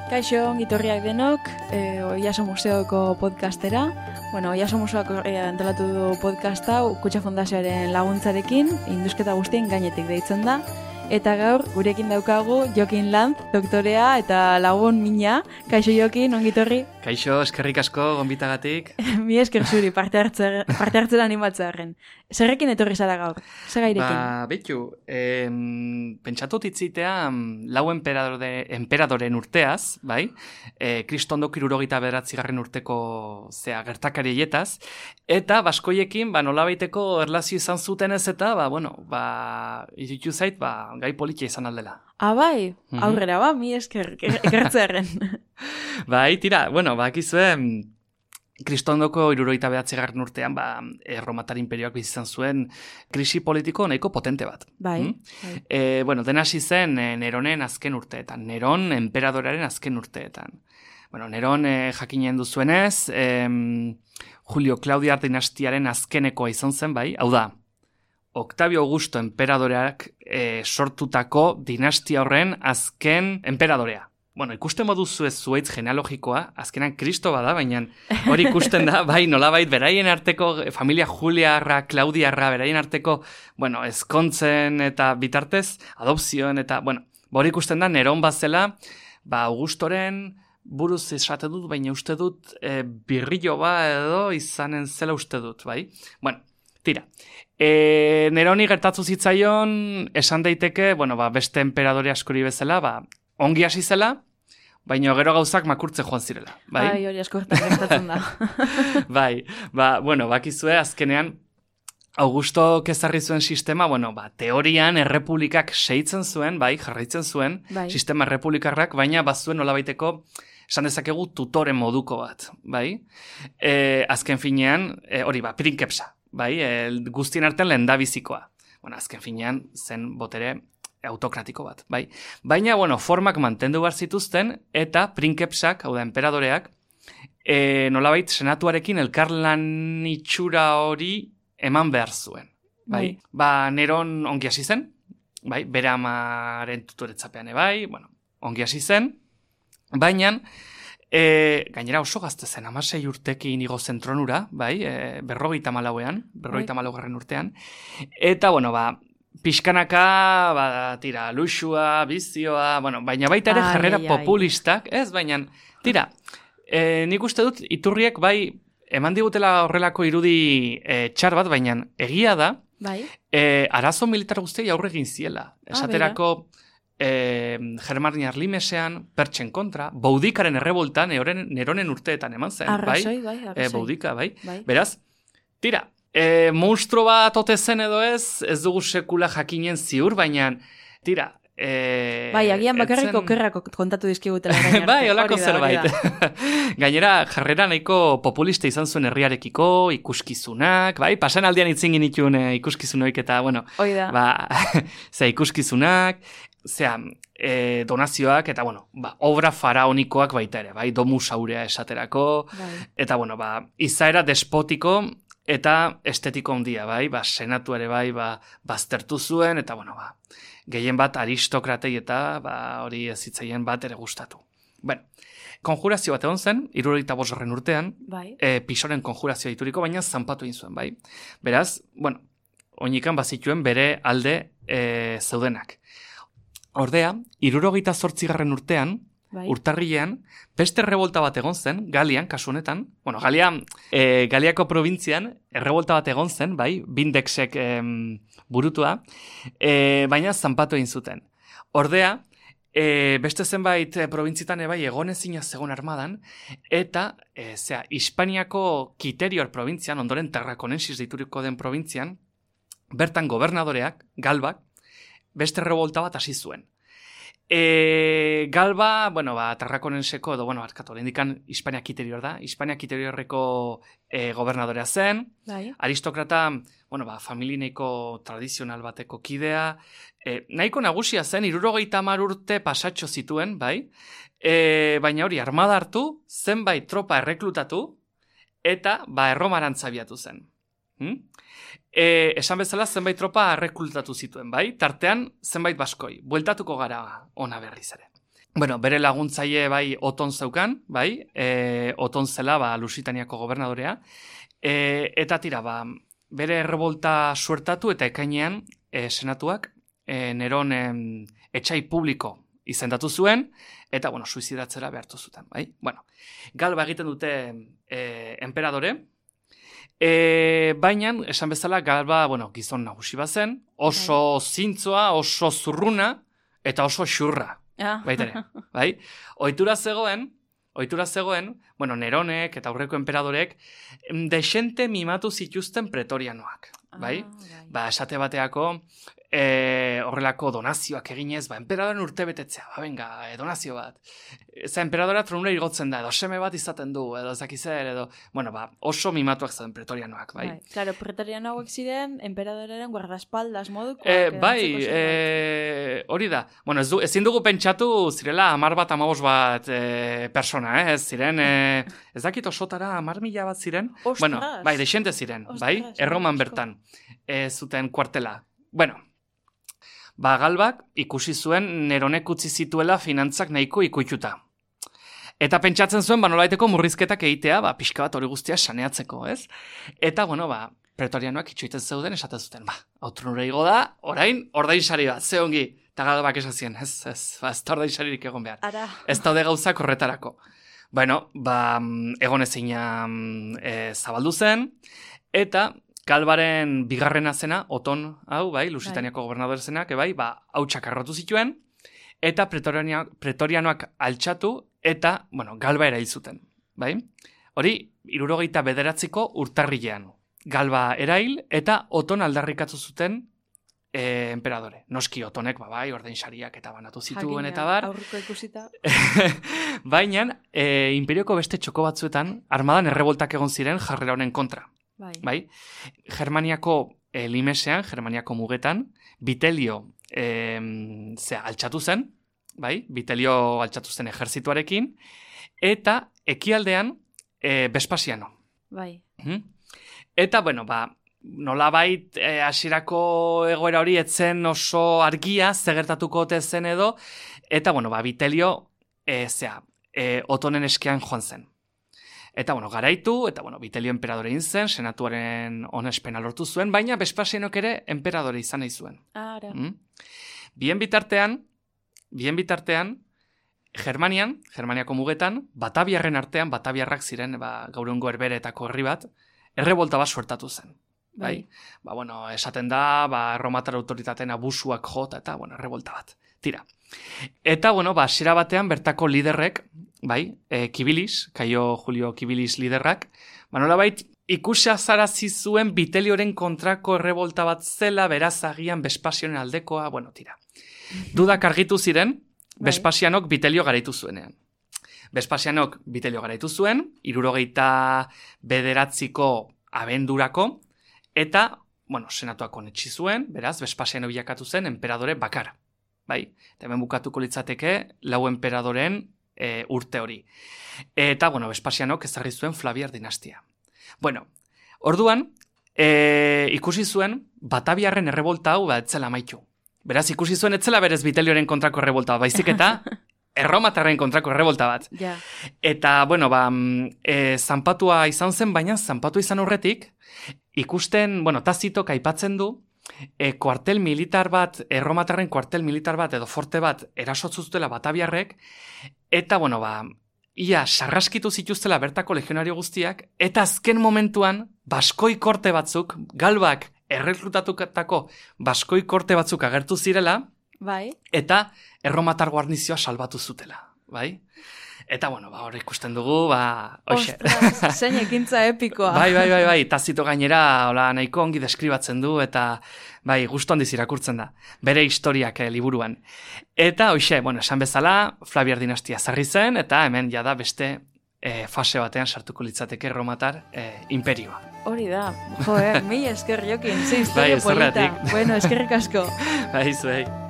Kaixo, ongitorriak denok, Oiaso Museoko podcastera. Oiaso Museoak antolatu du podcasta Kutxa Fundazioaren laguntzarekin, indusketa guztien gainetik deitzen da. Eta gaur, gurekin daukagu Jokin Lanz, doktorea eta lagun mina. Kaixo Jokin, ongitorri? Kaixo, eskerrik asko, gonbitagatik. Mi esker zuri, parte hartzera animatzearen. Zerrekin etorri zara gaur? Zer gairekin? Betu, pentsatut itzitea lau emperadoren urteaz, bai? Kristondok 79. urteko gertakarietaz, eta baskoiekin, nolabaiteko erlazio izan zuten ez eta, izitu zait, gai politia izan aldela. Bai, aurrera, mi esker, ekertzearen. Bai, tira, bakizue, Kristondoko 79. urtean, Erromatar imperioak bizizan zuen krisi politiko nahiko potente bat. Bai. Dena hasi zen Neronen azken urteetan, Neron emperadorearen azken urteetan. Neron jakinen duzuenez, Julio Claudiar dinastiaren azkenekoa izan zen, bai, hau da, Octavio Augusto emperadoreak sortutako dinastia horren azken emperadorea. Ikusten moduzu ez zuaitz genealogikoa, azkenan Kristo bada, baina hori ikusten da, bai, nolabait, beraien arteko, familia Juliarra, Claudiarra, beraien arteko, ezkontzen eta bitartez, adopzioen eta, hori ikusten da, Neron bazela, Augustoren buruz esate dut, baina uste dut, birrillo edo izanen zela uste dut, bai? Tira, Neroni gertatu zitzaion, esan daiteke, beste emperadore askori bezala, ongi hasi zela, baina gero gauzak makurtze joan zirela. Bai, hori askortan gertatzen da. Bai, bakizue azkenean, Augusto ezarri zuen sistema, teorian errepublikak seitzen zuen, jarraitzen zuen, sistema errepublikarrak, baina bazuen nolabaiteko, esan dezakegu tutoren moduko bat, bai? Azken finean, hori prinkepsa, bai? Guztien artean lehendabizikoa. Azken finean zen botere autokratiko bat, bai? Baina, formak mantendu behar zituzten, eta prinkepsak, hau da, emperadoreak, nolabait senatuarekin elkarlan itxura hori eman behar zuen, bai? Neron ongi hasi zen, bai? Bere amaren tutoretzapean bai, ongi hasi zen, baina, gainera oso gazte zen, 16 urtekin igo zen tronura, bai? 54. urtean, eta, pixkanaka, luxua, bizioa, baina baita ere jarrera populistak, ez, baina, tira, nik uste dut, iturriek, bai, eman digutela horrelako irudi txar bat, baina egia da, arazo militar guztiak aurre egin ziela. Esaterako, Germaniar limesean, pertsen kontra, Boudikaren erreboltan, Neronen urteetan eman zen, arrazoi. Boudika, bai. Beraz, tira, monstro bat ote zen edo ez dugu sekula jakinen ziur, baina, tira, agian bakarrik okerrak kontatu dizkigutela gainera. Bai, holako zerbait. Gainera, jarrera nahiko populista izan zuen herriarekiko, ikuskizunak, bai, pasan aldean itzin genituen ikuskizunoik eta, ikuskizunak, donazioak, eta, obra faraonikoak baita ere, bai, domus aurea esaterako, eta, izaera despotiko, eta estetiko handia, bai, senatu ere bai, baztertu zuen, eta, gehien bat aristokratei eta hori ez zitzaien bat ere gustatu. Konjurazio bat egon zen, 75. urtean, Pisoren konjurazioa ituriko, baina zanpatu egin zuen, bai. Beraz, oinikan bazituen bere alde zeudenak. Ordea, 78. urtean, urtarrilean, beste errebolta bat egon zen, Galian, kasu honetan, Galiako probintzian, errebolta bat egon zen, bai, Bindexek burutua, baina zanpatu egin zuten. Ordea, beste zenbait probintzitan egon ezina zegoen armadan, eta, Hispaniako Kiterior probintzian, ondoren Tarrakonensis deituriko den probintzian, bertan gobernadoreak, Galbak, beste errebolta bat hasi zuen. Galba, Tarrakonenseko, edo, arkatu, indikan Hispania Kiterior da, Hispania Kiteriorreko gobernadorea zen, aristokrata, familineiko tradizional bateko kidea, nahiko nagusia zen, 70 urte pasatxo zituen, bai, baina hori armada hartu, zenbait tropa erreklutatu, eta, erromarantza abiatu zen. Esan bezala zenbait tropa erreklutatu zituen, bai? Tartean zenbait baskoi, bueltatuko gara ona berriz ere. Bueno, bere laguntzaile bai Oton zeukan, bai, Oton zela Lusitaniako gobernadorea, eta tira, bere errebolta suertatu eta ekainean senatuak Neron etxai publiko izendatu zuen, eta, bueno, suizidatzera behartu zuten, bai? Bueno, Galba egiten dute enperadore, baina, esan bezala, Galba, bueno, gizon nagusi bazen, oso zintzoa, oso zurruna, eta oso xurra. Baitere, bai? Ohitura zegoen, bueno, Neronek eta aurreko enperadorek desente mimatu zituzten pretorianoak, bai? Esate bateako horrelako donazioak eginez, enperadoren urte betetzea, venga, donazio bat. Enperadora tronura igotzen da, edo seme bat izaten du, edo zakizer, edo, bueno, oso mimatuak zaten pretorianoak, bai? Claro, pretorianoak ziren, emperadoraren guardaespaldas moduko. Hori da. Bueno, ezin dugu pentsatu zirela 10 bat persona, ez ziren, ez dakit osotara 10.000 bat ziren. Ostras! Bueno, bai, desente ziren, bai? Erroman bertan, zuten kuartela. Bueno, Galbak ikusi zuen Neronek utzi zituela finantzak nahiko ikuituta. Eta pentsatzen zuen, nolabaiteko murrizketak egitea, pixka bat hori guztia saneatzeko, ez? Eta, bueno, pretorianoak itxoiten zeuden, esaten zuten, autronura igo da, orain, ordainsari bat, ze ongi. Eta Galbak esazien, ez da ordainsaririk egon behar. Ara. Ez daude gauzak horretarako. Bueno, egon ezina zabaldu zen, eta Galbaren bigarrena zena, Oton, hau, bai, Lusitaniako gobernador zenak, bai, hautsak arrotu zituen, eta pretorianoak altxatu, eta, bueno, Galba erail zuten, bai? Hori, 79ko urtarrilean. Galba erail, eta Oton aldarrikatu zuten enperadore. Noski Otonek, bai, ordainsariak eta banatu zituen, eta bar. Aurriko ikusita. Baina, imperioko beste txoko batzuetan, armadan erreboltak egon ziren jarrera honen kontra. Bai. Germaniako limesean, Germaniako mugetan, Vitelio altxatu zen, bai? Vitelio altxatu zen ejerzituarekin, eta ekialdean Vespasiano. Bai. Eta, bueno, nolabait hasierako egoera hori etzen oso argia, zegertatuko ote zen edo, eta, bueno, Vitelio Otonen eskean joan zen. Eta, bueno, garaitu, eta, bueno, Vitelio enperadore zen, senatuaren onespena lortu zuen, baina Vespasianok ere enperadore izan nahi zuen. Ara. Bien bitartean, Germaniako mugetan, Bataviarren artean, Bataviarrak ziren, gaurungo Herberetako herri bat, errebolta bat suertatu zen. Bai? Bueno, esaten da, erromatar autoritateen abusuak jota, eta, bueno, errebolta bat. Tira. Eta, bueno, hasiera batean bertako liderrek, bai, Kibilis, Kaio Julio Kibilis liderrak, nolabait ikusazarazi zuen Vitelioren kontrako errebolta bat zela, beraz agian Vespasionen aldekoa, bueno, tira. Dudak argitu ziren, Vespasianok Vitelio garaitu zuenean. Vespasianok Vitelio garaitu zuen, 79ko abendurako, eta, bueno, senatuak onetsi zuen, beraz, Vespasiano bilakatu zen enperadore bakar. Bai, eta hemen bukatuko litzateke 4 enperadoren urte hori. Eta, bueno, Vespasianok ezarri zuen Flaviar dinastia. Bueno, orduan, ikusi zuen Bataviarren errebolta hau etzela amaitu. Beraz, ikusi zuen etzela berez Vitelioren kontrako errebolta bat, baizik eta Erromatarren kontrako errebolta bat. Ja. Eta, bueno, zanpatua izan zen, baina zanpatua izan horretik, ikusten, bueno, Tazitok aipatzen du, kuartel militar bat, Erromatarren kuartel militar bat, edo forte bat, erasotzuztela Bataviarrek, eta, bueno, ia sarraskitu zituztela bertako legionario guztiak, eta azken momentuan, baskoi korte batzuk, Galbak errekrutatutako baskoi korte batzuk agertu zirela, bai. Eta erromatar guarnizioa salbatu zutela, bai? Eta, bueno, hor ikusten dugu, hoxe. Ostras, zein ekintza epikoa. Bai, Tazito gainera, nahiko ongi deskribatzen du, eta, bai, gustu handiz irakurtzen da, bere historiak liburuan. Eta, hoxe, bueno, esan bezala, Flaviar dinastia zarri zen, eta hemen jada beste fase batean sartuko litzateke erromatar imperioa. Hori da, mila esker jokin, ze historia Bai, polita. zergatik. Bueno, eskerrik asko. Bai, zuei.